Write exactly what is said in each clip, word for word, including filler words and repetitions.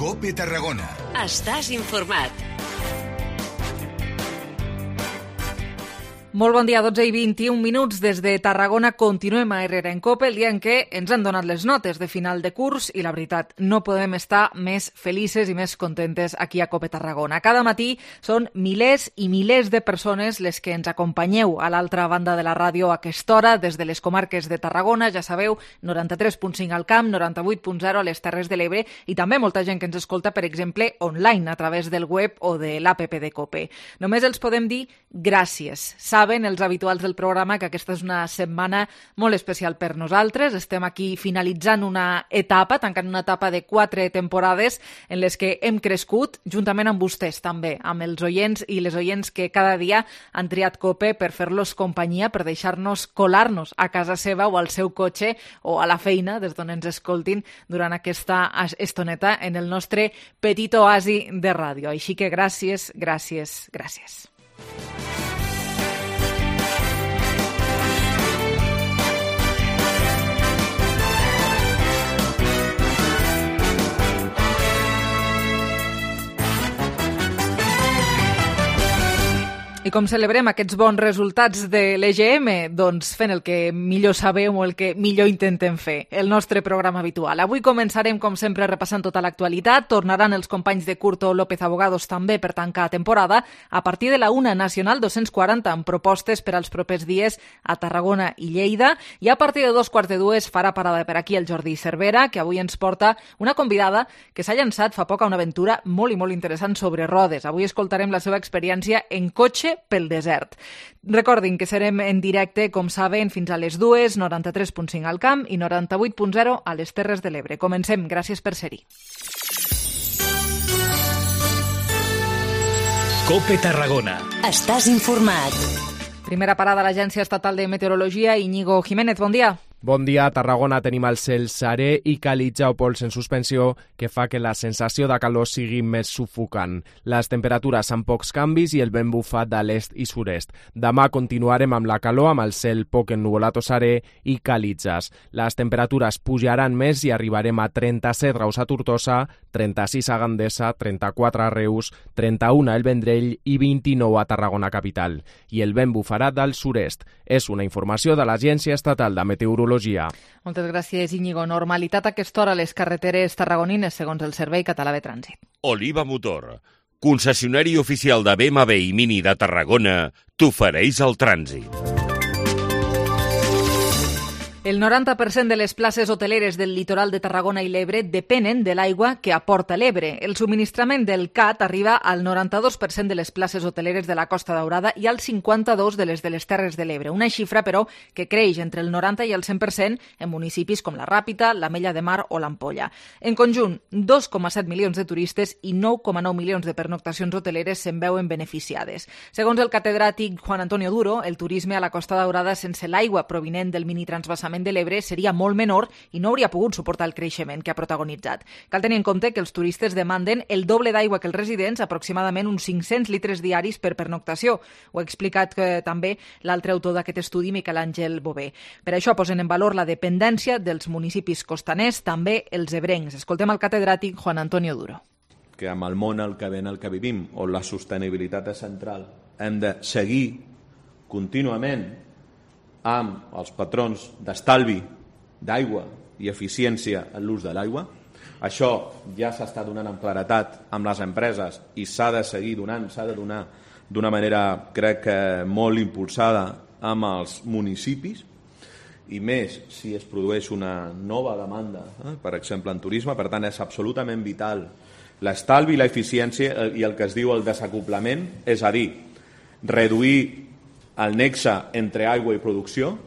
COPE Tarragona. Estàs informat. Molt bon dia, dotze i vint-i-un minuts des de Tarragona. Continuem a Herrera en COPE, el dia en què ens han donat les notes de final de curs i la veritat, no podem estar més felices i més contentes aquí a COPE Tarragona. Cada matí són milers i milers de persones les que ens acompanyeu a l'altra banda de la ràdio a aquesta hora, des de les comarques de Tarragona, ja sabeu, noranta-tres punt cinc al Camp, noranta-vuit punt zero a les Terres de l'Ebre i també molta gent que ens escolta, per exemple, online, a través del web o de l'App de COPE. Només els podem dir gràcies. Saben els habituals del programa que aquesta és una setmana molt especial per nosaltres. Estem aquí finalitzant una etapa, tancant una etapa de quatre temporades en les que hem crescut, juntament amb vostès també, amb els oients i les oients que cada dia han triat COPE per fer-los companyia, per deixar-nos colar-nos a casa seva o al seu cotxe o a la feina, des d'on ens escoltin durant aquesta estoneta en el nostre petit oasi de ràdio. Així que gràcies, gràcies, gràcies. I com celebrem aquests bons resultats de l'E G M? Doncs fent el que millor sabem o el que millor intentem fer, el nostre programa habitual. Avui començarem, com sempre, repassant tota l'actualitat. Tornaran els companys de Curto López Abogados també per tancar temporada a partir de la una Nacional dos-cents quaranta amb propostes per als propers dies a Tarragona i Lleida. I a partir de dos quarts de dues farà parada per aquí el Jordi Cervera, que avui ens porta una convidada que s'ha llançat fa poc a una aventura molt i molt interessant sobre rodes. Avui escoltarem la seva experiència en cotxe pel desert. Recordin que serem en directe, com saben, fins a les dues, noranta-tres punt cinc al Camp i noranta-vuit punt zero a les Terres de l'Ebre. Comencem. Gràcies per ser-hi. COPE Tarragona. Estàs informat. Primera parada a l'Agència Estatal de Meteorologia. Íñigo Jiménez, bon dia. Bon dia. A Tarragona tenim el cel serè i calitja o pols en suspensió que fa que la sensació de calor sigui més sufocant. Les temperatures amb pocs canvis i el vent bufa de l'est i sud-est. Demà continuarem amb la calor, amb el cel poc ennuvolat o serè i calitges. Les temperatures pujaran més i arribarem a trenta-set graus a Tortosa, trenta-sis a Gandesa, trenta-quatre a Reus, trenta-u a El Vendrell i vint-i-nou a Tarragona capital. I el vent bufarà del sud-est. És una informació de l'Agència Estatal de Meteorologia. Moltes gràcies, Íñigo. Normalitat a aquesta hora a les carreteres tarragonines, segons el Servei Català de Trànsit. Oliva Motor, concessionari oficial de B M W i Mini de Tarragona, t'ofereix el trànsit. El noranta per cent de les places hoteleres del litoral de Tarragona i l'Ebre depenen de l'aigua que aporta l'Ebre. El subministrament del C A T arriba al noranta-dos per cent de les places hoteleres de la Costa Daurada i al cinquanta-dos per cent de les de les Terres de l'Ebre. Una xifra, però, que creix entre el noranta i el cent per cent en municipis com la Ràpita, l'Ametlla de Mar o l'Ampolla. En conjunt, dos coma set milions de turistes i nou coma nou milions de pernoctacions hoteleres se'n veuen beneficiades. Segons el catedràtic Juan Antonio Duro, el turisme a la Costa Daurada sense l'aigua provinent del minitransvasament de l'Ebre seria molt menor i no hauria pogut suportar el creixement que ha protagonitzat. Cal tenir en compte que els turistes demanden el doble d'aigua que els residents, aproximadament uns cinc-cents litres diaris per pernoctació. Ho ha explicat eh, també l'altre autor d'aquest estudi, Miquel Àngel Bové. Per això posen en valor la dependència dels municipis costaners, també els ebrencs. Escoltem el catedràtic Juan Antonio Duro. Que amb el món el que ven el que vivim, on la sostenibilitat és central, hem de seguir contínuament amb els patrons d'estalvi d'aigua i eficiència en l'ús de l'aigua. Això ja s'està donant amb claretat amb les empreses i s'ha de seguir donant, s'ha de donar d'una manera, crec que molt impulsada amb els municipis, i més si es produeix una nova demanda, eh? per exemple en turisme. Per tant, és absolutament vital l'estalvi i l'eficiència i el que es diu el desacoplament, és a dir, reduir el nexe entre aigua i producció.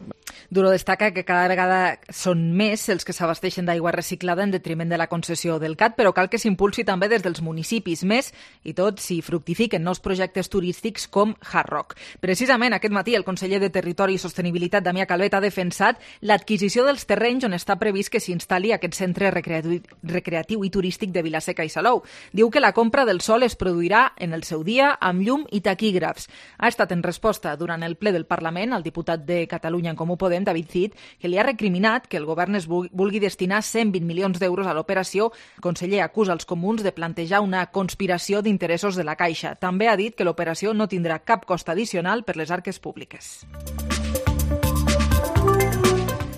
Duro destaca que cada vegada són més els que s'abasteixen d'aigua reciclada en detriment de la concessió del C A T, però cal que s'impulsi també des dels municipis, més i tot si fructifiquen nous projectes turístics com Hard Rock. Precisament aquest matí el conseller de Territori i Sostenibilitat, Damià Calvet, ha defensat l'adquisició dels terrenys on està previst que s'instal·li aquest centre recreatiu, recreatiu i turístic de Vilaseca i Salou. Diu que la compra del sòl es produirà en el seu dia amb llum i taquígrafs. Ha estat en resposta durant el ple del Parlament al diputat de Catalunya en Comú Podem, Podem, David Cid, que li ha recriminat que el govern es vulgui destinar cent vint milions d'euros a l'operació. El conseller acusa els comuns de plantejar una conspiració d'interessos de la Caixa. També ha dit que l'operació no tindrà cap cost addicional per les arques públiques.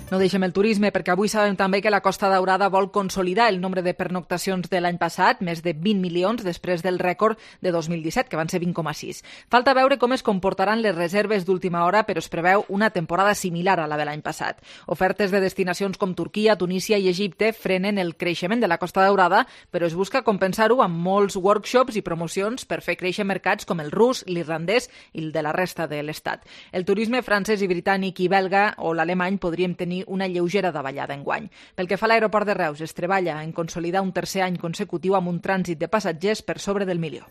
No deixem el turisme, perquè avui sabem també que la Costa Daurada vol consolidar el nombre de pernoctacions de l'any passat, més de vint milions després del rècord de dos mil disset, que van ser vint coma sis. Falta veure com es comportaran les reserves d'última hora, però es preveu una temporada similar a la de l'any passat. Ofertes de destinacions com Turquia, Tunísia i Egipte frenen el creixement de la Costa Daurada, però es busca compensar-ho amb molts workshops i promocions per fer créixer mercats com el rus, l'irlandès i el de la resta de l'Estat. El turisme francès i britànic i belga o l'alemany podríem tenir una lleugera davallada enguany. Pel que fa a l'aeroport de Reus, es treballa en consolidar un tercer any consecutiu amb un trànsit de passatgers per sobre del milió.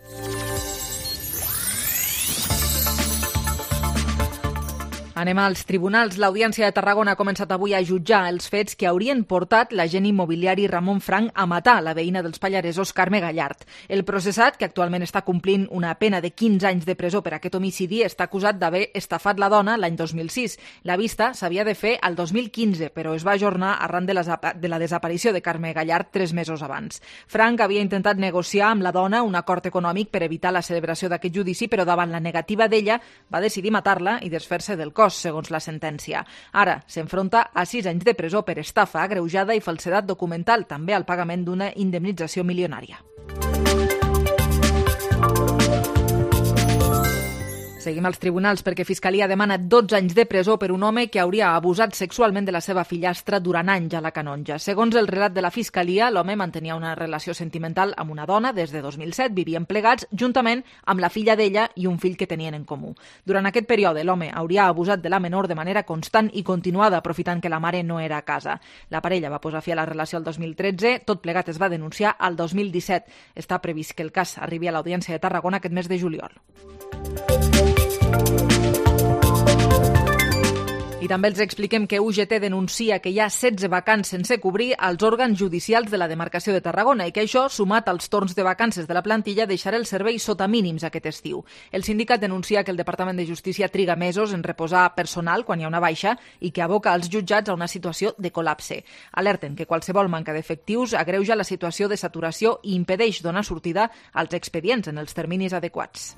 Anem als tribunals. L'Audiència de Tarragona ha començat avui a jutjar els fets que haurien portat l'agent immobiliari Ramon Frank a matar la veïna dels Pallaresos, Carme Gallart. El processat, que actualment està complint una pena de quinze anys de presó per aquest homicidi, està acusat d'haver estafat la dona l'any dos mil sis. La vista s'havia de fer al dos mil quinze, però es va ajornar arran de la, de la desaparició de Carme Gallart tres mesos abans. Frank havia intentat negociar amb la dona un acord econòmic per evitar la celebració d'aquest judici, però davant la negativa d'ella va decidir matar-la i desfer-se del cos, segons la sentència. Ara s'enfronta a sis anys de presó per estafa agreujada i falsedat documental, també al pagament d'una indemnització milionària. Seguim als tribunals perquè Fiscalia demana dotze anys de presó per un home que hauria abusat sexualment de la seva fillastra durant anys a la Canonja. Segons el relat de la Fiscalia, l'home mantenia una relació sentimental amb una dona des de dos mil set, vivien plegats juntament amb la filla d'ella i un fill que tenien en comú. Durant aquest període, l'home hauria abusat de la menor de manera constant i continuada, aprofitant que la mare no era a casa. La parella va posar fi a la relació el dos mil tretze, tot plegat es va denunciar al dos mil disset. Està previst que el cas arribi a l'Audiència de Tarragona aquest mes de juliol. I també els expliquem que U G T denuncia que hi ha setze vacants sense cobrir als òrgans judicials de la demarcació de Tarragona i que això, sumat als torns de vacances de la plantilla, deixarà el servei sota mínims aquest estiu. El sindicat denuncia que el Departament de Justícia triga mesos en reposar personal quan hi ha una baixa i que aboca els jutjats a una situació de col·lapse. Alerten que qualsevol manca d'efectius agreuja la situació de saturació i impedeix donar sortida als expedients en els terminis adequats.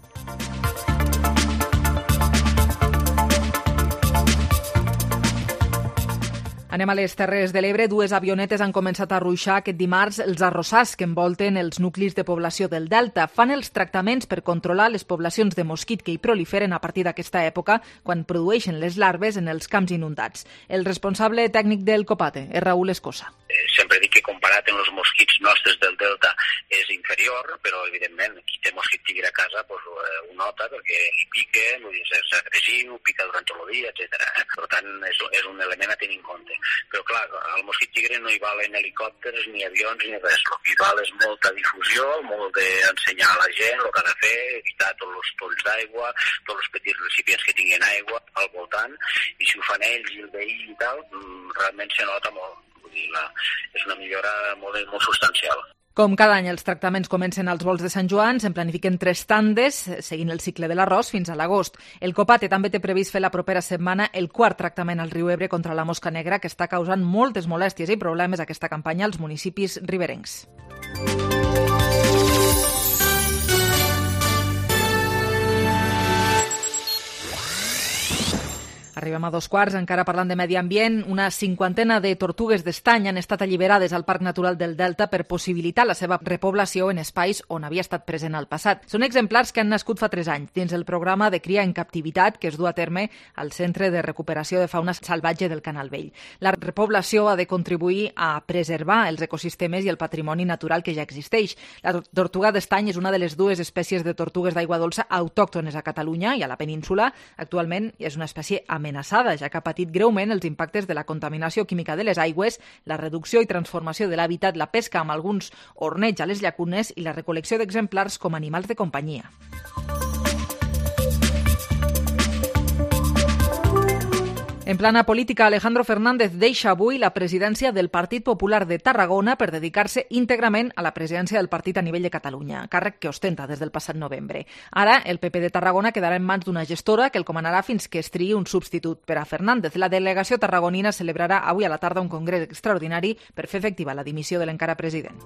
Anem a les Terres de l'Ebre. Dues avionetes han començat a ruixar aquest dimarts els arrossars que envolten els nuclis de població del Delta. Fan els tractaments per controlar les poblacions de mosquit que hi proliferen a partir d'aquesta època, quan produeixen les larves en els camps inundats. El responsable tècnic del COPATE és Raúl Escosa. Sempre dic que comparat amb els mosquits nostres del Delta és inferior, però evidentment qui té mosquit tigre a casa pues, ho nota perquè li pica, és agressiu, pica durant tot el dia, etcètera. Eh? Per tant, és, és un element a tenir en compte. Però clar, al mosquit tigre no hi valen helicòpters, ni avions, ni res. El que hi val és molta difusió, molt d'ensenyar a la gent el que ha de fer, evitar tots els polls d'aigua, tots els petits recipients que tinguin aigua al voltant, i si ho fan ells i el veí i tal, realment se nota molt. Vull dir, la, és una millora molt, molt substancial. Com cada any, els tractaments comencen als volts de Sant Joan, se'n planifiquen tres tandes, seguint el cicle de l'arròs fins a l'agost. El COPATE també té previst fer la propera setmana el quart tractament al riu Ebre contra la mosca negra, que està causant moltes molèsties i problemes aquesta campanya als municipis riberencs. Arribem a dos quarts, encara parlant de medi ambient. Una cinquantena de tortugues d'estany han estat alliberades al Parc Natural del Delta per possibilitar la seva repoblació en espais on havia estat present al passat. Són exemplars que han nascut fa tres anys dins el programa de cria en captivitat que es du a terme al Centre de Recuperació de Fauna Salvatge del Canal Vell. La repoblació ha de contribuir a preservar els ecosistemes i el patrimoni natural que ja existeix. La tortuga d'estany és una de les dues espècies de tortugues d'aigua dolça autòctones a Catalunya i a la península. Actualment és una espècie amenaçada amenaçada, ja que ha patit greument els impactes de la contaminació química de les aigües, la reducció i transformació de l'hàbitat, la pesca amb alguns orneigs a les llacunes i la recol·lecció d'exemplars com animals de companyia. En plana política, Alejandro Fernández deixa avui la presidència del Partit Popular de Tarragona per dedicar-se íntegrament a la presidència del partit a nivell de Catalunya, càrrec que ostenta des del passat novembre. Ara, el P P de Tarragona quedarà en mans d'una gestora que el comanarà fins que es triï un substitut per a Fernández. La delegació tarragonina celebrarà avui a la tarda un congrés extraordinari per fer efectiva la dimissió de l'encara president.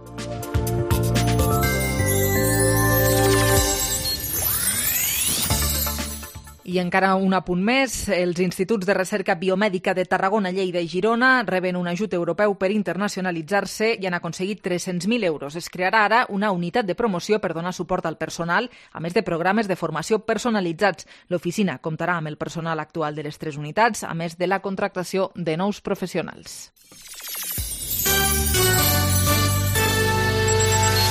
I encara un apunt més, els instituts de recerca biomèdica de Tarragona, Lleida i Girona reben un ajut europeu per internacionalitzar-se i han aconseguit tres-cents mil euros. Es crearà ara una unitat de promoció per donar suport al personal, a més de programes de formació personalitzats. L'oficina comptarà amb el personal actual de les tres unitats, a més de la contractació de nous professionals.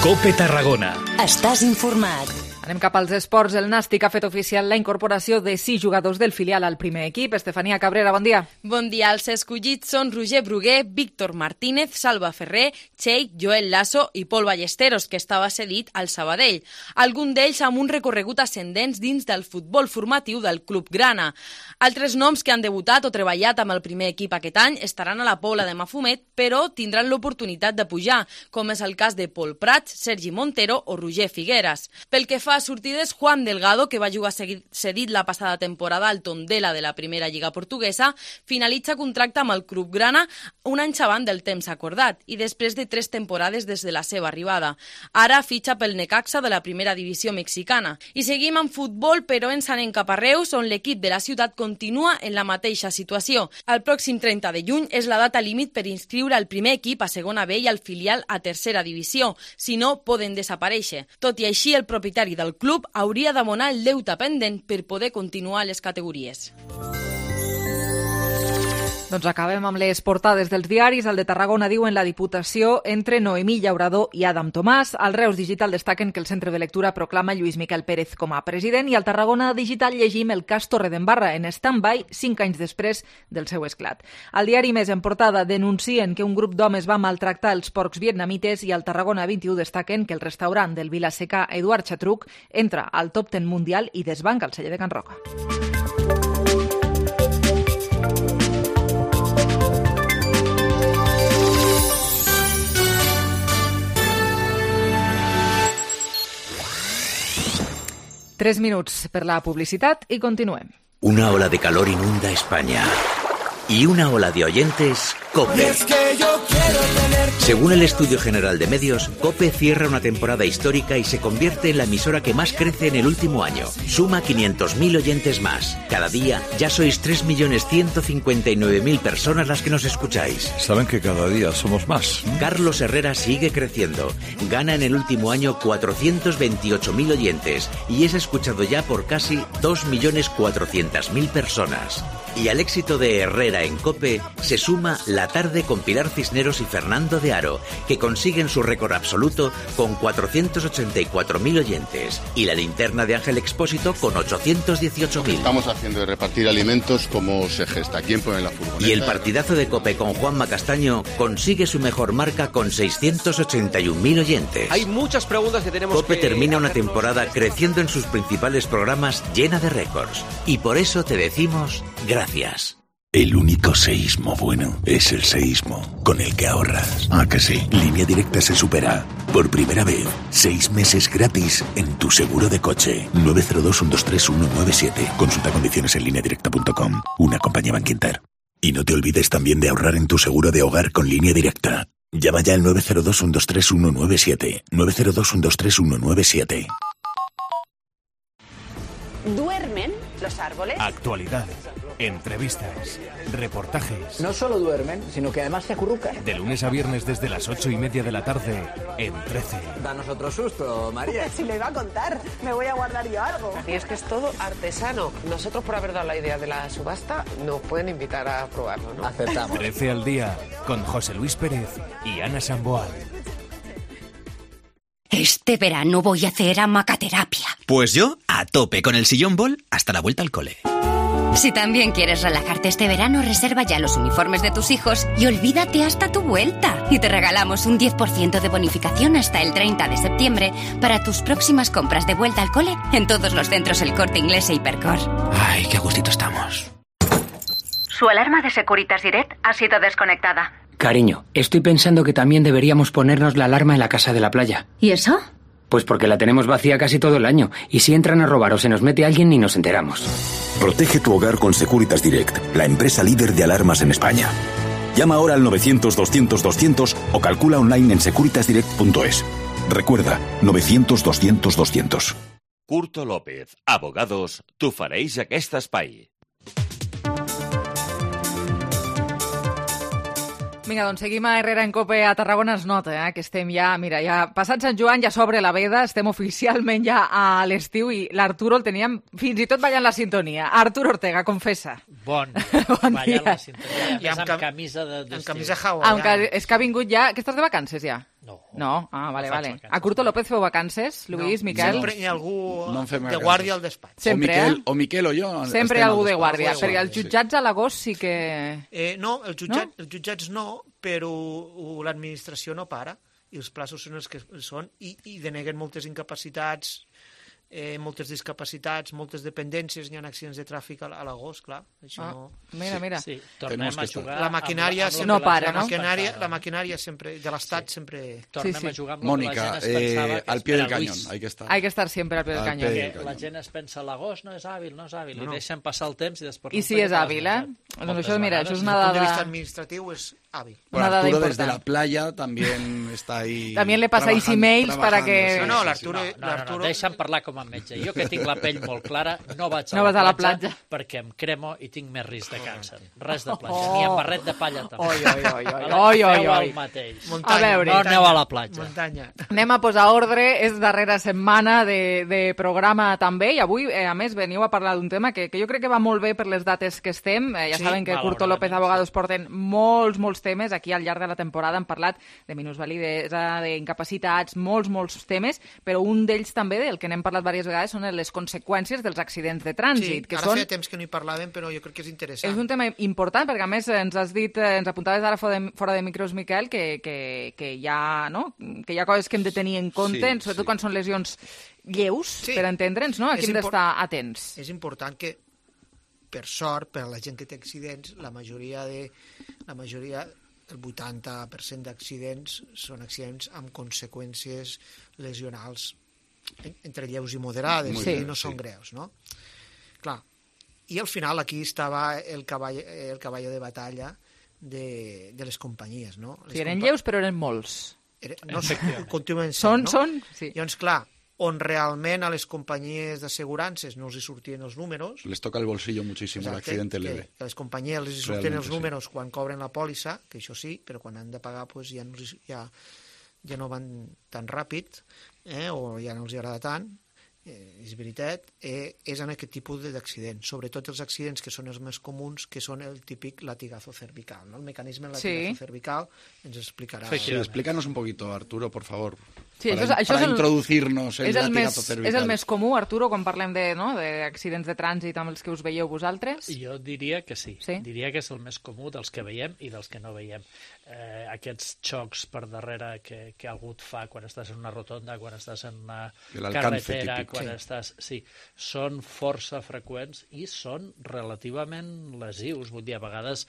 COPE Tarragona. Estàs informat. Anem cap als esports. El Nàstic ha fet oficial la incorporació de sis jugadors del filial al primer equip. Estefania Cabrera, bon dia. Bon dia. Els escollits són Roger Bruguer, Víctor Martínez, Salva Ferrer, Cheik, Joel Lasso i Pol Ballesteros, que estava cedit al Sabadell. Algun d'ells amb un recorregut ascendent dins del futbol formatiu del Club Grana. Altres noms que han debutat o treballat amb el primer equip aquest any estaran a la Pobla de Mafumet, però tindran l'oportunitat de pujar, com és el cas de Pol Prats, Sergi Montero o Roger Figueras. Pel que fa a sortides, Juan Delgado, que va jugar cedit la passada temporada al Tondela de la primera lliga portuguesa, finalitza contracte amb el Club Grana un any abans del temps acordat i després de tres temporades des de la seva arribada. Ara fitxa pel Necaxa de la primera divisió mexicana. I seguim amb futbol, però ens anem cap a Reus, on l'equip de la ciutat continua en la mateixa situació. El pròxim trenta de juny és la data límit per inscriure el primer equip a segona B i el filial a tercera divisió. Si no, poden desaparèixer. Tot i així, el propietari del club hauria d'abonar el deute pendent per poder continuar les categories. Doncs acabem amb les portades dels diaris. El de Tarragona diu en la Diputació entre Noemí Llaurador i Adam Tomàs. Al Reus Digital destaquen que el Centre de Lectura proclama Lluís Miquel Pérez com a president i al Tarragona Digital llegim el cas Torredembarra en stand-by cinc anys després del seu esclat. Al diari Més en portada denuncien que un grup d'homes va maltractar els porcs vietnamites i al Tarragona vint-i-u destaquen que el restaurant del Vilaseca Eduard Xatruc entra al top deu mundial i desbanca el celler de Can Roca. Tres minuts per la publicitat i continuem. Una ola de calor inunda España. Y una ola de oyentes, COPE. Según el Estudio General de Medios, COPE cierra una temporada histórica y se convierte en la emisora que más crece en el último año. Suma quinientos mil oyentes más. Cada día ya sois tres millones ciento cincuenta y nueve mil personas las que nos escucháis. Saben que cada día somos más. Carlos Herrera sigue creciendo. Gana en el último año cuatrocientos veintiocho mil oyentes y es escuchado ya por casi dos millones cuatrocientas mil personas. Y al éxito de Herrera en COPE se suma La Tarde con Pilar Cisneros y Fernando de Aro, que consiguen su récord absoluto con cuatrocientos ochenta y cuatro mil oyentes, y La Linterna de Ángel Expósito con ochocientos dieciocho mil. Estamos haciendo de repartir alimentos como se gesta. ¿Quién pone la furgoneta? Y el partidazo de COPE con Juanma Castaño consigue su mejor marca con seiscientos ochenta y un mil oyentes. Hay muchas preguntas que tenemos COPE que termina una hacernos. temporada creciendo en sus principales programas llena de récords. Y por eso te decimos gracias. Gracias. El único seísmo bueno es el seísmo con el que ahorras. ¿Ah, que sí? Línea Directa se supera. Por primera vez, seis meses gratis en tu seguro de coche. nueve cero dos, uno dos tres, uno nueve siete. Consulta condiciones en línea directa punto com. Una compañía Bankinter. Y no te olvides también de ahorrar en tu seguro de hogar con Línea Directa. Llama ya al nueve cero dos, uno dos tres, uno nueve siete. nueve cero dos, uno dos tres, uno nueve siete. ¿Duermen los árboles? Actualidad, entrevistas, reportajes. No solo duermen, sino que además se acurrucan. De lunes a viernes desde las ocho y media de la tarde en trece. Danos otro susto, María. Si le iba a contar, me voy a guardar yo algo. Y es que es todo artesano. Nosotros, por haber dado la idea de la subasta, nos pueden invitar a probarlo, ¿no? Aceptamos. trece al día con José Luis Pérez y Ana Samboal. Este verano voy a hacer hamacaterapia. Pues yo, a tope con el sillón bol hasta la vuelta al cole. Si también quieres relajarte este verano, reserva ya los uniformes de tus hijos y olvídate hasta tu vuelta. Y te regalamos un diez por ciento de bonificación hasta el treinta de septiembre para tus próximas compras de vuelta al cole en todos los centros El Corte Inglés e Hipercor. Ay, qué a gustito estamos. Su alarma de Securitas Direct ha sido desconectada. Cariño, estoy pensando que también deberíamos ponernos la alarma en la casa de la playa. ¿Y eso? Pues porque la tenemos vacía casi todo el año, y si entran a robar o se nos mete alguien ni nos enteramos. Protege tu hogar con Securitas Direct, la empresa líder de alarmas en España. Llama ahora al novecientos doscientos doscientos o calcula online en securitas direct punto es. Recuerda, novecientos doscientos doscientos. Curto López, abogados, t'ofereix aquest espai. Vinga, doncs seguim a Herrera en Cope a Tarragona. Es nota eh, que estem ja, mira, ja passat Sant Joan, ja s'obre la veda, estem oficialment ja a l'estiu i l'Arturo el teníem fins i tot ballant la sintonia. Arturo Ortega, confessa. Bon, bon ballant dia. la sintonia, I amb, amb camisa de, amb camisa hawaiana. Ah, que, és que ha vingut ja... Que estàs de vacances ja? No. No? Ah, vale, no vale. Vacances, a Curto López feu vacances, Luis, no, Miquel? Sempre hi ha algú no de guàrdia al despatx. Sempre, o Miquel, eh? o Miquel o jo. Sempre hi ha algú de guàrdia, de perquè els jutjats a l'agost sí que... Eh, no, els, jutjat, no? els jutjats no, però l'administració no para, i els plaços són els que són, i, i deneguen moltes incapacitats, eh, moltes discapacitats, moltes dependències, hi ha accidents de tràfic a l'agost, clar. Això ah, no... Mira, mira. Sí, tornem a jugar... La maquinària, amb, amb no para, la no? maquinària, la maquinària sempre, de l'Estat sí. sempre... Tornem sí, sí. a jugar amb Mónica, la gent es pensava eh, que al pie del Luis. cañón, hay que estar. Hay que estar siempre al pie del Al cañón. pie del Perquè la gent es pensa l'agost no és hàbil, no és hàbil, no, no. i deixen passar el temps i després... I si és hàbil, eh? Doncs això, mira, això és una Desde el punto de dada... vista administrativo es hábil. Bueno, Una dada Arturo importante. desde la playa también está ahí. También le pasáis emails para que- No, no, Sí, l'Arturo... sí, no, no, no, l'Arturo- no, deixa'm parlar com a metge. Jo que tinc la pell molt clara, no vaig a, No la, vas a la platja platja. perquè em cremo i tinc més risc de càncer. Res de platja, ni amb barret de palla també. Oi, oi, oi, oi, Vale? oi, oi, Feu oi. el mateix. A veure, no aneu a la platja. Muntanya. Anem a posar ordre, és darrera setmana de, de programa també, i avui, eh, a més, veniu a parlar d'un tema que, que jo crec que va molt bé per les dates que estem. Eh, ja Sí, saben que Curto malauradament, López Abogados porten molts, molts temes. Aquí al llarg de la temporada hem parlat de minusvalidesa, d'incapacitats, molts, molts temes, però un d'ells també, del que n'hem parlat diverses vegades, són les conseqüències dels accidents de Sí, trànsit. que ara són... feia temps que no hi parlàvem, però jo crec que és interessant. És un tema important, perquè a més ens has dit, eh, ens apuntaves ara fora de, fora de micros, Miquel, que, que, que, hi ha, no? que hi ha coses que hem de tenir en compte, Sí, sobretot sí. quan són lesions lleus, Sí. per entendre'ns, no? Aquí És hem impor- d'estar atents. És important que, per sort, per a la gent que té accidents, la majoria de... La majoria, el vuitanta per cent d'accidents són accidents amb conseqüències lesionals en- entre lleus i moderades, Sí. i no són greus, no? Clar, i al final aquí estava el cavall, el cavall de batalla de, de les companyies, no? Les Sí, eren compa- lleus, però eren molts. Era, no, continuen sent, Són, no? són, sí. Llavors, clar, on realment a les companyies d'assegurances no els hi sortien els números, Les toca el bolsillo muchísimo el exacte, accidente que, leve. que a les companyies els hi sortien Realment, els sí. números quan cobren la pòlissa, que això sí, però quan han de pagar pues, ja, no, els hi- ja, ja no van tan ràpid, eh, o ja no els hi agrada tant, eh, és veritat, eh, és en aquest tipus de- d'accidents, sobretot els accidents que són els més comuns, que són el típic latigazo cervical, no? El mecanisme del latigazo Sí. cervical ens explicarà. Sí, explícanos un poquito, Arturo, por favor. Sí, para, això és- això para és el- introducirnos en És el el, més, latigazo cervical. és el més comú, Arturo, quan parlem de, no, d'accidents de trànsit amb els que us veieu vosaltres? Jo diria que sí. Sí? Diria que és el més comú dels que veiem i dels que no veiem. Eh, aquests xocs per darrere que, que algú et fa quan estàs en una rotonda, quan estàs en una El alcance carretera, típic. quan Sí. estàs... Sí, són força freqüents i són relativament lesius. Vull dir, a vegades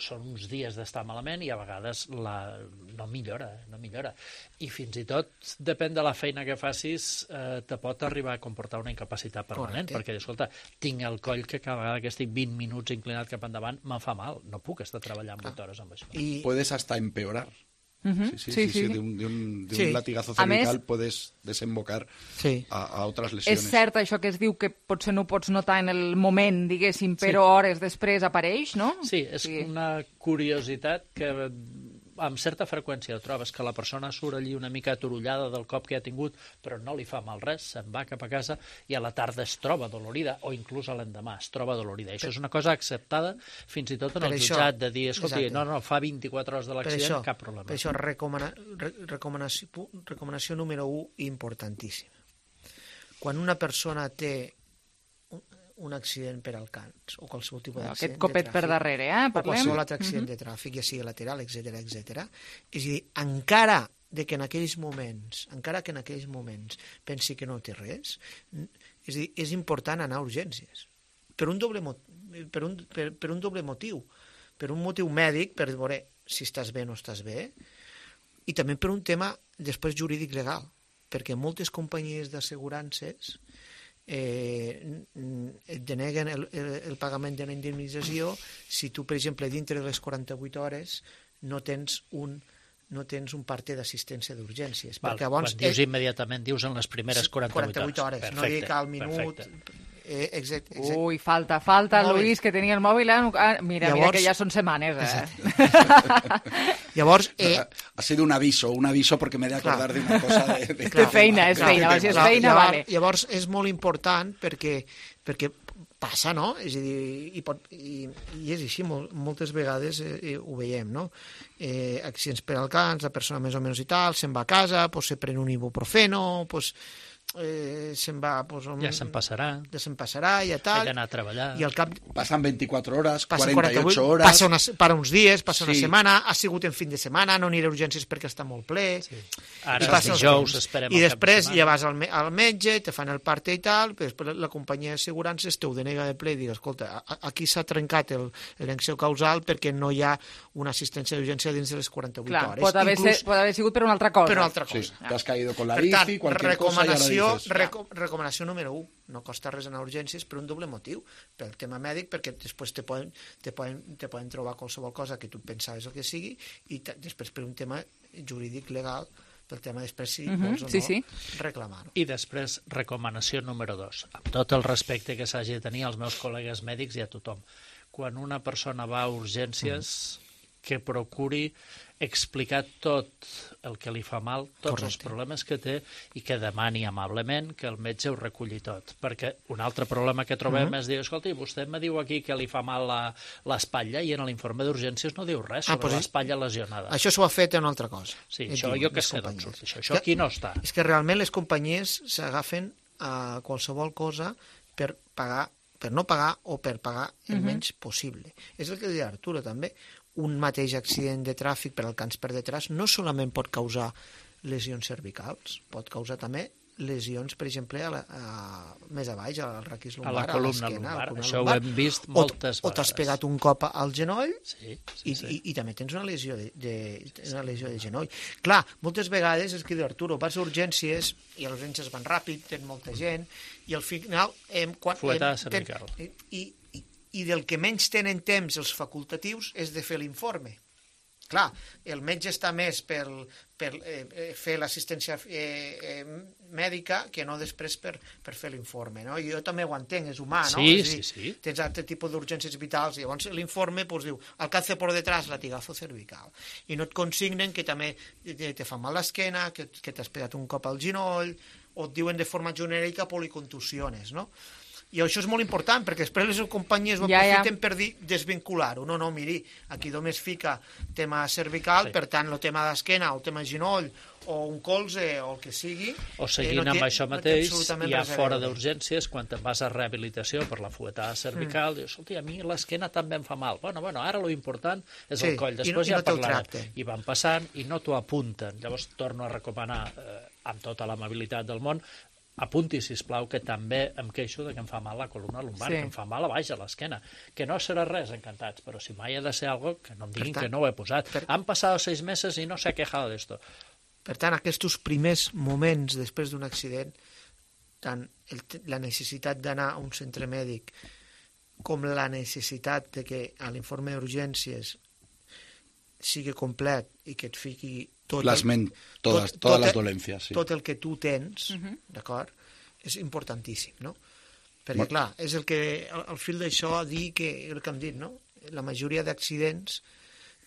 són uns dies d'estar malament i a vegades la... no millora, eh? no millora. I fins i tot, depèn de la feina que facis, eh, te pot arribar a comportar una incapacitat permanent, Correcte. perquè, escolta, tinc el coll que cada vegada que estic vint minuts inclinat cap endavant me'n fa mal, no puc estar treballant vuit hores amb això. I, Puedes hasta empeorar. Mhm. Sí, sí, Sí, sí, sí. sí, de un, de un, de Sí. un latigazo A més- cervical puedes desembocar Sí. a, a otras És lesiones. cert això que es diu que potser no ho pots notar en el moment, diguéssim, però Sí. hores després apareix, no? Sí, és Sí. una curiositat que amb certa freqüència trobes que la persona surt allí una mica aturullada del cop que ha tingut, però no li fa mal res, se'n va cap a casa i a la tarda es troba dolorida, o inclús a l'endemà es troba dolorida. I això és una cosa acceptada fins i tot en Per el això- jutjat, de dir, escolti, exacte. no, no, fa vint-i-quatre hores de per l'accident, això, cap problema. per això recomana, re, recomanació, pu- recomanació número u importantíssima. Quan una persona té un, un accident per al cans o qualsevol tipus Aquest d'accident copet de per tràfic, darrere, eh? o Parlem? qualsevol altre accident Mhm. de tràfic, ja sigui lateral, etcètera, etcètera, és a dir, encara de que en aquells moments, encara que en aquells moments pensi que no té res, n- és a dir, és important anar a urgències. Per un doble, mo- per, un, per, per un doble motiu. Per un motiu mèdic, per veure si estàs bé o no estàs bé, i també per un tema després jurídic legal, perquè moltes companyies d'assegurances eh, et deneguen el, el, el pagament de la indemnització si tu, per exemple, dintre de les quaranta-vuit hores no tens un no tens un parte d'assistència d'urgències. Val, quan dius eh, immediatament, dius en les primeres quaranta-vuit, quaranta-vuit hores. Perfecte, no dic al minut... perfecte. Eh, exact, exact. Ui, falta, falta, Mòbil. Luis, que tenia el mòbil... Ah, mira, Llavors, mira, que ja són setmanes, eh? Llavors... Eh, ha sido un aviso, un aviso porque me he de acordar de una cosa de... de, de feina, és feina, si és feina, llavors, vale. Llavors és molt important perquè, perquè passa, no? És a dir, i, pot, i, i és així, molt, moltes vegades eh, ho veiem, no? Eh, accidents per al cans, la persona més o menys i tal, se'n va a casa, pues, se pren un ibuprofeno, pues, eh, se'n va... Pues, un, ja se'n passarà. Ja se'n passarà, ja tal. He d'anar a treballar. I al cap... Passen vint-i-quatre hores, passa quaranta-ocho hores... Passa una, para uns dies, passa sí. una setmana, ha sigut en fin de setmana, no aniré a urgències perquè està molt ple... Sí. Ara els dijous esperem I després ja vas al, me al metge, te fan el parte i tal, després la companyia d'assegurances te ho denega de ple i dius, escolta, aquí s'ha trencat el, el nexo causal perquè no hi ha una assistència d'urgència dins de les quaranta-vuit Clar, hores. Pot haver, Inclús, ser, pot haver sigut per una altra cosa. Per una altra cosa. Sí, t'has caído con la per bici, tant, cualquier recomanació, cosa, ja reco recomanació número u, no costa res anar a urgències per un doble motiu, pel tema mèdic, perquè després te poden, te poden, te poden trobar qualsevol cosa que tu pensaves el que sigui, i després per un tema jurídic legal, pel tema després si uh-huh, vols o sí, no sí. reclamar-ho. I després, recomanació número dos. Amb tot el respecte que s'hagi de tenir als meus col·legues mèdics i a tothom. Quan una persona va a urgències, mm. que procuri explicar tot el que li fa mal, tots Correcte. Els problemes que té, i que demani amablement que el metge ho reculli tot. Perquè un altre problema que trobem uh-huh. és dir, escolta, vostè me diu aquí que li fa mal l'espatlla i en l'informe d'urgències no diu res sobre ah, pues l'espatlla lesionada. Això s'ho ha fet en una altra cosa. Sí, això diu, jo que sé d'on surt això. Això aquí no està. És que realment les companyies s'agafen a qualsevol cosa per pagar, per no pagar o per pagar el uh-huh. menys possible. És el que deia Arturo també. Un mateix accident de tràfic per al cans per detrás no solament pot causar lesions cervicals, pot causar també lesions, per exemple, a la, a, més a baix, al raquis lumbar, a la columna lumbar. Això lumbar. Ho hem vist moltes o, o t'has pegat un cop al genoll sí, sí, i, sí. I, i també tens una lesió de, de, una lesió de genoll. Clar, moltes vegades, és que diu Arturo, vas a urgències i les urgències van ràpid, tens molta gent, i al final... Eh, quan, Fuetada cervical. Ten, i, i, i del que menys tenen temps els facultatius és de fer l'informe. Clar, el metge està més per, per eh, fer l'assistència eh, eh, mèdica que no després per, per fer l'informe, no? Jo també ho entenc, és humà, no? Sí, és dir, sí, sí. Tens altre tipus d'urgències vitals i llavors l'informe pues, diu, alcance por detrás latigazo cervical. I no et consignen que també te fa mal l'esquena, que, que t'has pegat un cop al genoll, o et diuen de forma genèrica policontusiones, no? I això és molt important, perquè després les companyies ho ja, aprofiten ja. per dir desvincular-ho. No, no, miri, aquí només fica tema cervical, sí. Per tant, el tema d'esquena, el tema genoll, o un colze, o el que sigui... O seguint eh, no amb té, això mateix, no hi ha fora d'urgències, quan te'n vas a rehabilitació per la fuetada cervical, mm. dius, escolta, a mi l'esquena també em fa mal. Bueno, bueno, ara lo important és sí, el coll, després i no, ja no parlarem. I van passant i no t'ho apunten. Llavors torno a recomanar, eh, amb tota l'amabilitat del món, apunti, sisplau, que també em queixo de que em fa mal la columna lumbar, sí. que em fa mal a baix a l'esquena, que no serà res, encantats, però si mai ha de ser algo, que no em diguin tant, que no ho he posat. Per... Han passat seis mesos i no s'ha quejado d'esto. Per tant, aquests primers moments després d'un accident, tant el, la necessitat d'anar a un centre mèdic com la necessitat de que a l'informe d'urgències sigui complet i que et fiqui tot Plasmen el, todas, tot, todas tot, les dolencias. Sí. Tot el que tu tens, uh-huh. d'acord? És importantíssim, no? Perquè, Molt... clar, és el que, al, al fil d'això, dir que, el que hem dit, no? La majoria d'accidents,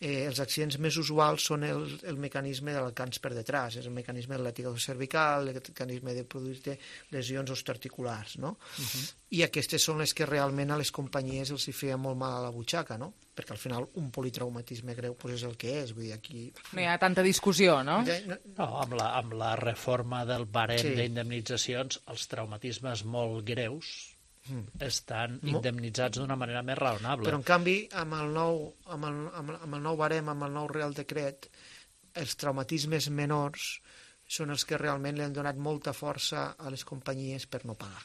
eh, els accidents més usuals són el, el mecanisme del cans per detrás, és el mecanisme del latigazo cervical, el mecanisme de produir lesions osteoarticulars, no? Uh-huh. I aquestes són les que realment a les companyies els hi feia molt mal a la butxaca, no? Perquè al final un politraumatisme greu pues és el que és, vull dir, aquí... No hi ha tanta discussió, no? No, amb la, amb la reforma del barem sí. d'indemnitzacions, els traumatismes molt greus mm. estan indemnitzats d'una manera més raonable. Però en canvi, amb el nou, amb el, amb, amb el nou barem, amb el nou Real Decret, els traumatismes menors són els que realment li han donat molta força a les companyies per no pagar.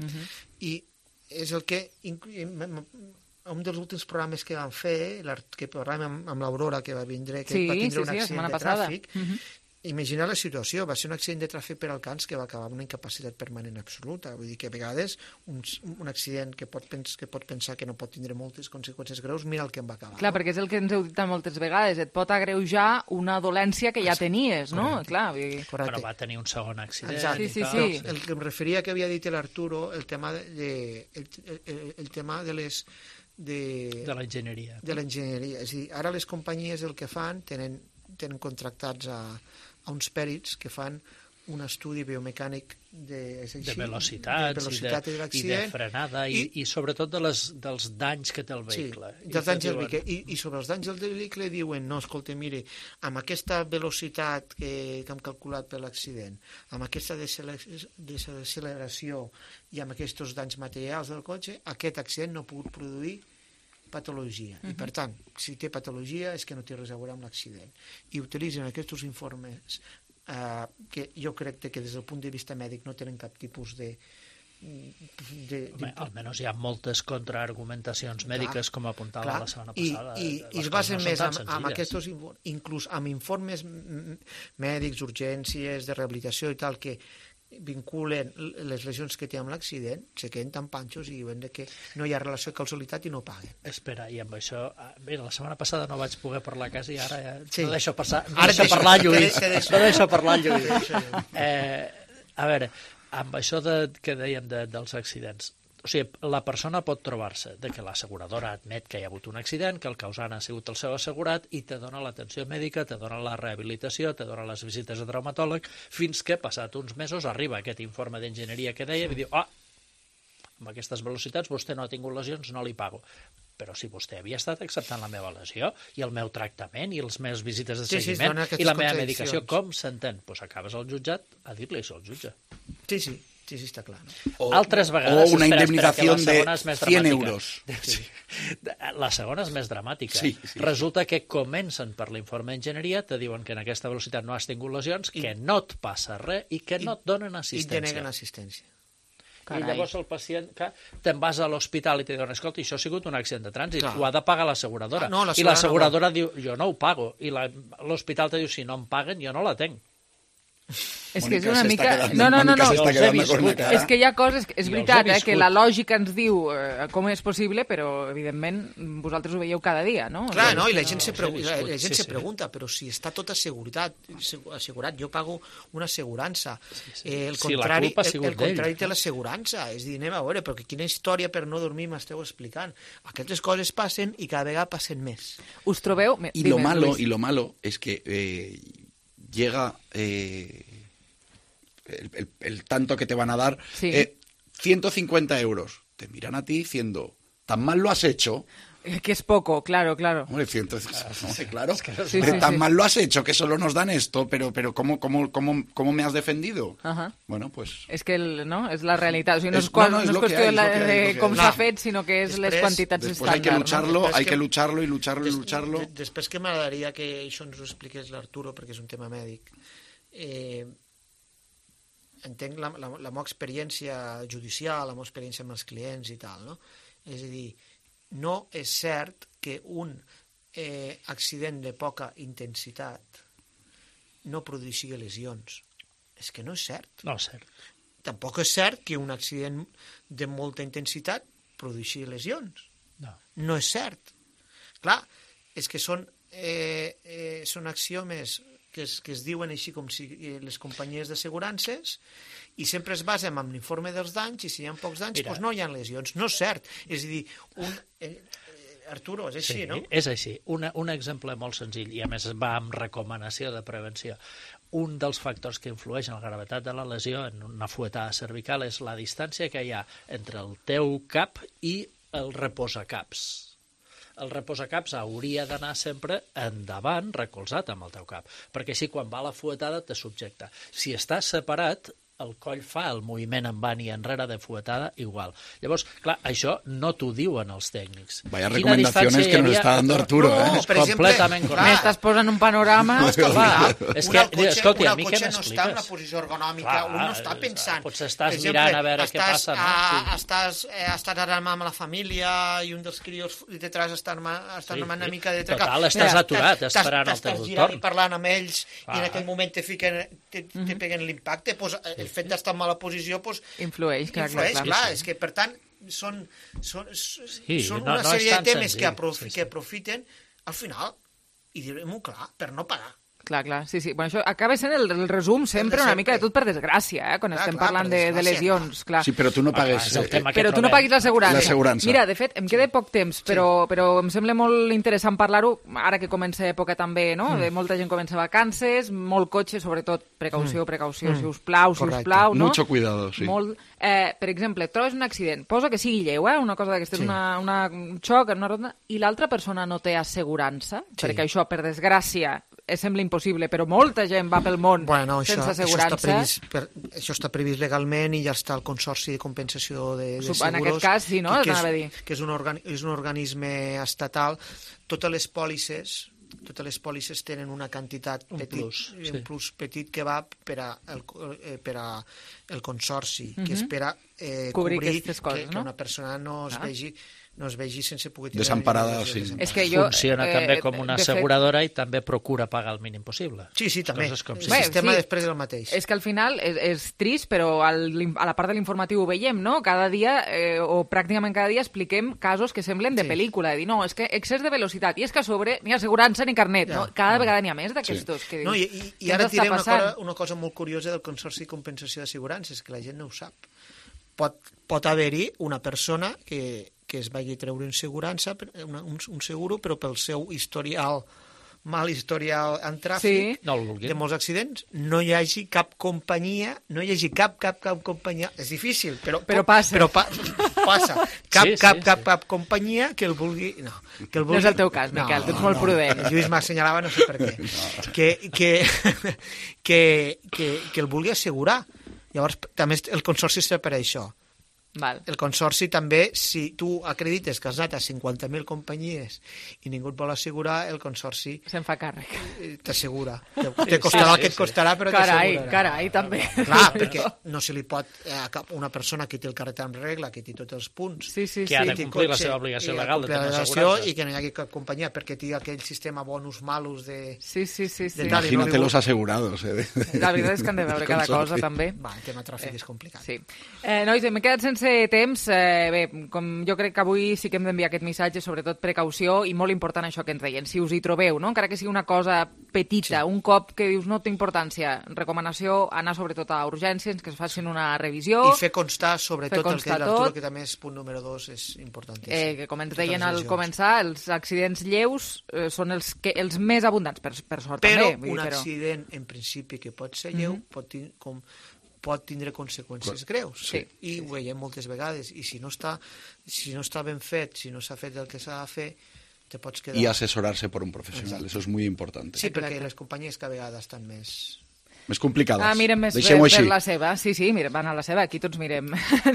Mm-hmm. I és el que... Un dels últims programes que vam fer, que parlàvem amb, amb l'Aurora, que va vindre, que sí, va tindre sí, un accident sí, de tràfic, uh -huh. Imagina la situació, va ser un accident de tràfic per Alcans que va acabar amb una incapacitat permanent absoluta. Vull dir que a vegades un, un accident que pot, pens, que pot pensar que no pot tindre moltes conseqüències greus, mira el que em va acabar. Clar, no? Perquè és el que ens heu dit moltes vegades, et pot agreujar una dolència que ja tenies, no? Correcte. Clar, vull dir... Però va tenir un segon accident. Exacte. Sí, sí, sí. El que em referia que havia dit l'Arturo, el tema de, el, el, el tema de les... De, de l'enginyeria. De l'enginyeria. És a dir, ara les companyies el que fan, tenen, tenen contractats a a uns pèrits que fan un estudi biomecànic de, així, de velocitats de velocitat i, de, i de frenada i, i, i sobretot de les, dels danys que té el vehicle. Sí, dels danys del vehicle. I, I sobre els danys del vehicle diuen, no, escolta, mire, amb aquesta velocitat que, que hem calculat per l'accident, amb aquesta desaceleració i amb aquests danys materials del cotxe, aquest accident no ha pogut produir patologia. Uh-huh. I, per tant, si té patologia és que no té res a veure amb l'accident. I utilitzen aquests informes eh, que jo crec que des del punt de vista mèdic no tenen cap tipus de... de, Home, de... almenys hi ha moltes contraargumentacions mèdiques, clar, com apuntava clar, la setmana passada. I, i, i es basen no més amb, amb aquests, inclús amb informes mèdics, urgències, de rehabilitació i tal, que vinculen les lesions que té amb l'accident, se queden tan panxos i diuen que no hi ha relació de causalitat i no paguen. Espera, i amb això... Mira, la setmana passada no vaig poder parlar a casa i ara ja sí. no deixo, passar, no ara deixo deixo, parlar Lluís. Que deixo. No deixo parlar Lluís. Eh, a veure, amb això de, que dèiem de, dels accidents, o sigui, la persona pot trobar-se de que l'asseguradora admet que hi ha hagut un accident, que el causant ha sigut el seu assegurat i te dona l'atenció mèdica, te dona la rehabilitació, te dona les visites a traumatòleg, fins que, passat uns mesos, arriba aquest informe d'enginyeria que deia i diu, ah, amb aquestes velocitats vostè no ha tingut lesions, no li pago. Però si vostè havia estat acceptant la meva lesió i el meu tractament i les meves visites de seguiment sí, sí, i la meva medicació, com s'entén? Doncs pues acabes al jutjat a dir-li això al jutge. Sí, sí. Sí, sí, està clar. No? O, Altres vegades... O una espera, indemnització espera, de cent euros. Sí. La segona és més dramàtica. Sí, sí. Resulta que comencen per l'informe d'enginyeria, te diuen que en aquesta velocitat no has tingut lesions, I, que no et passa res i que i, no et donen assistència. I te neguen assistència. Carai. I llavors el pacient, que te'n vas a l'hospital i te diuen, escolta, això ha sigut un accident de trànsit, ho ha de pagar l'asseguradora. Ah, no, I l'asseguradora no diu, jo no ho pago. I l'hospital te diu, si no em paguen, jo no la tenc. És que és una mica... No, no, no, no. És que hi ha coses... És veritat, eh, que la lògica ens diu eh, com és possible, però, evidentment, vosaltres ho veieu cada dia, no? Clar, no, i la gent se pregunta, la gent se pregunta però si està tot assegurat, assegurat, jo pago una assegurança. El contrari, el contrari té l'assegurança. És dir, anem a veure, però quina història per no dormir m'esteu explicant. Aquestes coses passen i cada vegada passen més. Us trobeu... I lo malo, y lo malo es que... Eh, llega eh, el, el, el tanto que te van a dar, sí. eh, ciento cincuenta euros. Te miran a ti diciendo, ¿tan mal lo has hecho? Que es poco, claro, claro. Hombre, ciento, claro, no sé, claro. Es que sí, sí, tan sí. mal lo has hecho que solo nos dan esto, pero, pero ¿cómo, cómo, cómo, cómo me has defendido? Ajá. Bueno, pues... És que el, no? és la realitat. O sigui, no és, es, no, no, és, no és qüestió hay, de, de com s'ha fet, sinó que és després, les quantitats estàndard. Hay que lucharlo, no? hay que lucharlo y lucharlo des, y lucharlo. Des, després que m'agradaria que això ens ho expliqués l'Arturo, perquè és un tema mèdic. Eh, entenc la, la, la meva experiència judicial, la meva experiència amb els clients i tal, no? És a dir, no és cert que un eh, accident de poca intensitat no produeixi lesions. És que no és cert. No és cert. Tampoc és cert que un accident de molta intensitat produeixi lesions. No. No és cert. Clar, és que són, eh, eh, són axiomes que es, que es diuen així com si les companyies d'assegurances i sempre es basen en l'informe dels danys i si hi ha pocs danys, doncs no hi ha lesions. No és cert. És a dir, un, eh, Arturo, és així, sí, no? És així. Una, un exemple molt senzill i a més va amb recomanació de prevenció. Un dels factors que influeix en la gravetat de la lesió en una fuetada cervical és la distància que hi ha entre el teu cap i el reposacaps. El reposacaps hauria d'anar sempre endavant, recolzat amb el teu cap, perquè així quan va la fuetada te subjecta. Si estàs separat, el coll fa el moviment en i enrere de fuetada igual. Llavors, clar, això no t'ho diuen els tècnics. Vaya recomendaciones que nos está dando Arturo, no, eh? És completament correcte. M'estàs posant un panorama... No, és que, clar, és una que, escolta, una a mi què cotxe no està en una posició ergonòmica, clar, un no està pensant. Potser estàs per exemple, mirant a veure estàs, què passa, no? A, Sí. estàs, eh, estàs ara amb la família i un dels crios detrás està armant, està Sí, armant sí. una mica de treca. Total, estàs Mira, aturat, t'estàs- esperant el t'estàs teu girant torn. i parlant amb ells Clar. i en aquell moment te fiquen, te, te peguen l'impacte, pues, el fet d'estar en mala posició pues, influeix, clar, influeix, clar, clar, clar. és que per tant són, són, Sí, són no- una no és sèrie tan de temes senzill. que, aprof Sí, sí. que aprofiten al final, i direm-ho clar, per no pagar. Clar, clar, sí, sí. Bueno, això acaba sent el, el resum sempre una mica de tot per desgràcia, eh? Quan Clar, estem clar, parlant per de, de desgràcia, lesions, clar. Sí, però tu no pagues... és el tema que Però tu no trobem. paguis l'assegurança. L'assegurança. Mira, de fet, em queda poc temps, però, però em sembla molt interessant parlar-ho, ara que comença època també, no? Mm. De molta gent comença vacances, molt cotxe, sobretot precaució, Mm. precaució, Mm. si us plau, si us Correcte. plau, no? Mucho cuidado, sí. Molt, eh, per exemple, et trobes un accident, posa que sigui lleu, eh? Una cosa d'aquestes, Sí. una, una, un xoc en una ronda, i l'altra persona no té assegurança, Sí. perquè això, per desgràcia, eh, sembla impossible, però molta gent va pel món Bueno, això, sense això, està assegurança. previst, per, això està previst legalment i ja està el Consorci de Compensació de, de Sup- Seguros. en aquest cas, sí, no? Que, que, Anava a és, dir. que és, un organi és un organisme estatal. Totes les pòlisses totes les pòlisses tenen una quantitat Un petit, plus, un sí. plus petit que va per a el, eh, per a el Consorci, Mhm. que espera eh, Cobrir cobrir, aquestes coses, que, no? que una persona no es Clar. vegi no es vegi sense poder tindre... Desemparada, ninguna sí. desemparada. És que jo, Funciona eh, també com una de fet- asseguradora i també procura pagar el mínim possible. Sí, sí, també. Coses com El si- Bé, sistema sí. després és el mateix. És que al final és, és trist, però al, a la part de l'informatiu ho veiem, no? Cada dia, eh, o pràcticament cada dia, expliquem casos que semblen de Sí. pel·lícula. De dir, no, és que excés de velocitat, i és que a sobre ni assegurança ni carnet, Ja. no? Cada vegada n'hi ha més d'aquestos. Que No, dius, i, i, i què ara ens et diré està una passant? cosa, una cosa molt curiosa del Consorci de Compensació d'Assegurances, que la gent no ho sap. Pot, pot haver-hi una persona que, que es vagi a treure una assegurança, una, un, un seguro, però pel seu historial, mal historial en tràfic, Sí. No el vulguin. de molts accidents, no hi hagi cap companyia, no hi hagi cap, cap, cap companyia, és difícil, però, Però passa. Però pa, passa. Cap, Sí, sí, cap, sí. cap, cap companyia que el vulgui... No, que el No vulgui... és el teu cas, Miquel, tu ets molt prudent. El Lluís m'assenyalava, no sé per què. Que, que, que, que, que el vulgui assegurar. Llavors, també el Consorci està per això. Val. El Consorci també, si tu acredites que has anat a cinquanta mil companyies i ningú et vol assegurar, el Consorci Se'n fa càrrec. eh, t'assegura. Te, te costarà el que et costarà, però Carai, t'assegurarà. carai, també. Clar, perquè no se li pot eh, a cap, una persona que té el carret en regla, que té tots els punts, Sí, sí, Que ha sí. de té complir la cotxe seva obligació i ha legal de complir la tenir obligació assegurança. i que no hi hagi cap companyia perquè té aquell sistema bonus malus de... Sí, sí, sí. sí. De tal, Imagínate los asegurados. Eh, de- La veritat és que han de veure cada Consorci. cosa, també. Va, el tema tràfic és complicat. Sí. Eh, nois, m'he quedat sense temps. Eh, bé, com jo crec que avui sí que hem d'enviar aquest missatge, sobretot precaució, i molt important això que ens deien. Si us hi trobeu, no? Encara que sigui una cosa petita, sí. un cop que dius no té importància, recomanació, anar sobretot a urgències, que es facin una revisió. I fer constar, sobretot, Fer constar el que diu l'Arturo, tot. que també és punt número dos, és importantíssim. Eh, que com ens Totes deien les al lesions. començar, els accidents lleus eh, són els, que, els més abundants, per, per sort Però també. vull un dir, però... accident, en principi, que pot ser lleu, Mhm. pot, tin com, pot tindre conseqüències greus. Sí. I ho veiem moltes vegades. I si no està, si no està ben fet, si no s'ha fet el que s'ha de fer, te pots quedar... Y asesorarse por un profesional, eso es muy importante. Sí, perquè les companyies cada vegada estan més... Més complicades. Ah, mirem més per, Deixem-ho per així. la seva. Sí, sí, mira, van a la seva, aquí tots mirem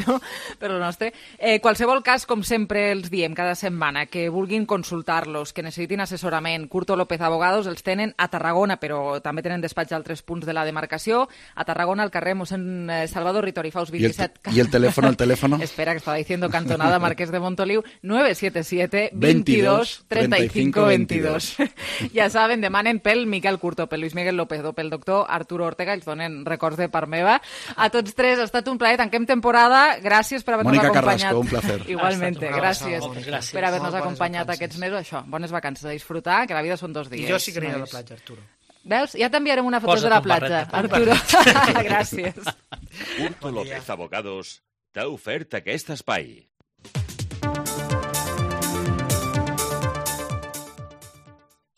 no? per el nostre. Eh, qualsevol cas, com sempre els diem cada setmana, que vulguin consultar-los, que necessitin assessorament, Curto López Abogados els tenen a Tarragona, però també tenen despatx a altres punts de la demarcació. A Tarragona, al carrer mossèn eh, Salvador Ritori Faus ¿Y el, veintisiete. ¿Y el teléfono, el teléfono? Espera, que estaba diciendo Cantonada Marqués de Montoliu, nueve siete siete, veintidós, treinta y cinco, veintidós. Ja saben, demanen pel Miquel Curto, pel Luis Miguel López o pel doctor Arturo Ortega, ells donen records de part meva. A tots tres ha estat un plaer, tanquem temporada. Gràcies per haver-nos Mónica acompanyat. Carrasco, un placer. Igualmente, Ha estat una gràcies, abraçada, gràcies. per haver-nos Molt bones acompanyat vacances. aquests mesos. Això, bones vacances, a disfrutar, que la vida són dos dies. I jo sí que aniré a la nois. platja, Arturo. Veus? Ja t'enviarem una foto Posa't de la un barret platja, de Arturo. Gràcies. Curto López Abogados t'ha ofert aquest espai.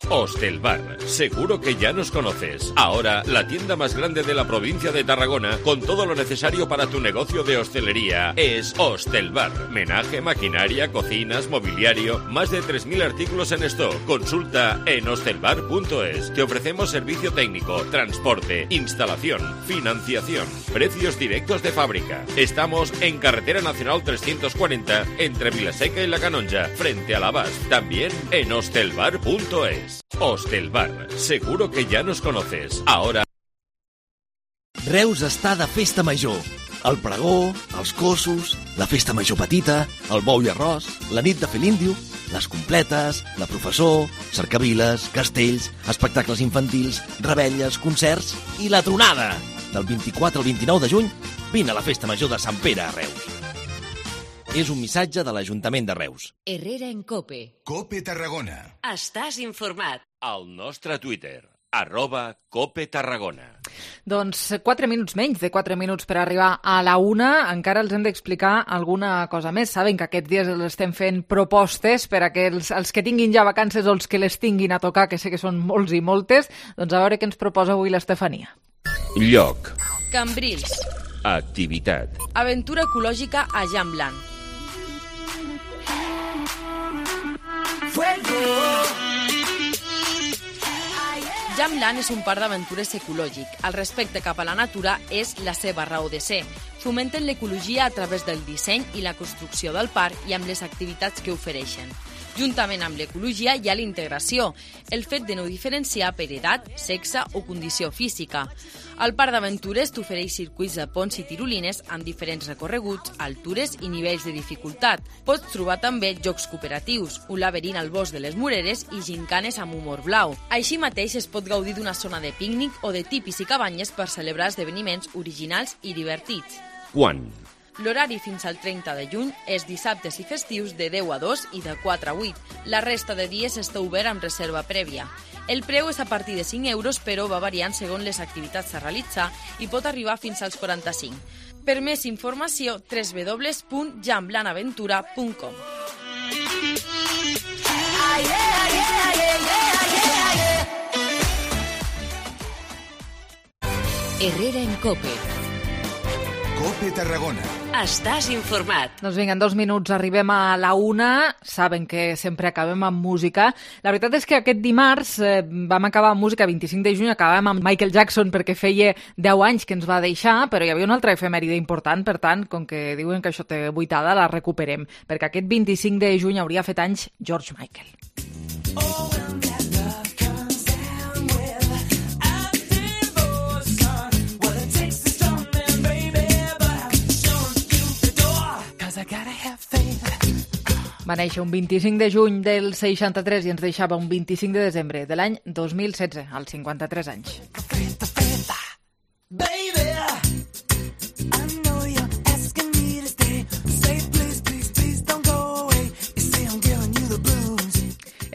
Hostelbar, seguro que ya nos conoces. Ahora, la tienda más grande de la provincia de Tarragona, con todo lo necesario para tu negocio de hostelería, es Hostelbar. Menaje, maquinaria, cocinas, mobiliario, más de tres mil artículos en stock. Consulta en hostelbar punto es. Te ofrecemos servicio técnico, transporte, instalación, financiación, precios directos de fábrica. Estamos en Carretera Nacional trescientos cuarenta, entre Vilaseca y La Canonja, frente a l'Abast. También en hostelbar punto es. Hostelbar, seguro que ya nos conoces. Ahora... Reus està de festa major. El pregó, els cossos, la festa major petita, el bou i arròs, la nit de fer l'índio, les completes, la professor, cercaviles, castells, espectacles infantils, rebelles, concerts i la tronada. Del vint-i-quatre al vint-i-nou de juny, vine a la festa major de Sant Pere a Reus. És un missatge de l'Ajuntament de Reus. Herrera en Cope. Cope Tarragona. Estàs informat. Al nostre Twitter, arroba Cope Tarragona. Doncs quatre minuts menys de quatre minuts per arribar a la una. Encara els hem d'explicar alguna cosa més. Saben que aquests dies els estem fent propostes per a que els, els que tinguin ja vacances o els que les tinguin a tocar, que sé que són molts i moltes, doncs a veure què ens proposa avui l'Estefania. Lloc. Cambrils. Activitat. Aventura ecològica a Jamblan. Jamblan és un parc d'aventures ecològic. El respecte cap a la natura és la seva raó de ser. Fomenten l'ecologia a través del disseny i la construcció del parc i amb les activitats que ofereixen. Juntament amb l'ecologia hi ha la integració, el fet de no diferenciar per edat, sexe o condició física. El parc d'aventures t'ofereix circuits de ponts i tirolines amb diferents recorreguts, altures i nivells de dificultat. Pots trobar també jocs cooperatius, un laberint al bosc de les Moreres i gincanes amb humor blau. Així mateix es pot gaudir d'una zona de pícnic o de tipis i cabanyes per celebrar esdeveniments originals i divertits. Quan? L'horari fins al trenta de juny és dissabtes i festius de deu a dos i de quatre a vuit. La resta de dies està obert amb reserva prèvia. El preu és a partir de cinc euros, però va variant segons les activitats a realitzar i pot arribar fins als quaranta-cinc. Per més informació, w w w punt jamblanaventura punt com. Herrera en Cope. Cope Tarragona. Estàs informat. Doncs vinga, en dos minuts arribem a la una. Saben que sempre acabem amb música. La veritat és que aquest dimarts eh, vam acabar amb música, vint-i-cinc de juny, acabàvem amb Michael Jackson perquè feia deu anys que ens va deixar, però hi havia una altra efemèride important, per tant, com que diuen que això té vuitada, la recuperem, perquè aquest vint-i-cinc de juny hauria fet anys George Michael. Oh, va néixer un vint-i-cinc de juny del seixanta-tres i ens deixava un vint-i-cinc de desembre de l'any dos mil setze, als cinquanta-tres anys.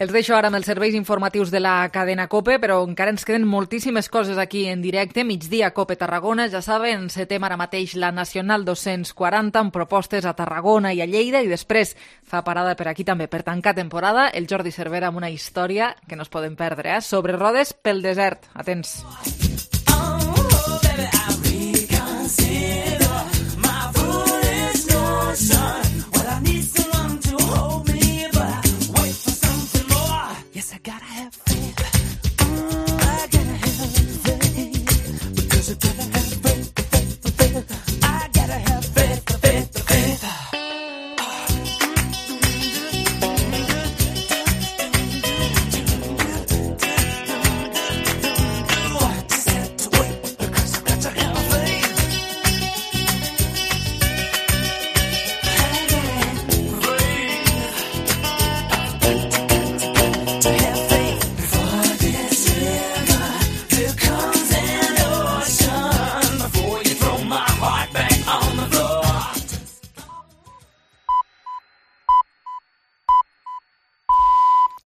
Els deixo ara amb els serveis informatius de la cadena COPE, però encara ens queden moltíssimes coses aquí en directe. Migdia COPE Tarragona, ja saben, encetem ara mateix la Nacional dos-cents quaranta amb propostes a Tarragona i a Lleida i després fa parada per aquí també per tancar temporada el Jordi Cervera amb una història que no es poden perdre, eh? Sobre rodes pel desert. Atents.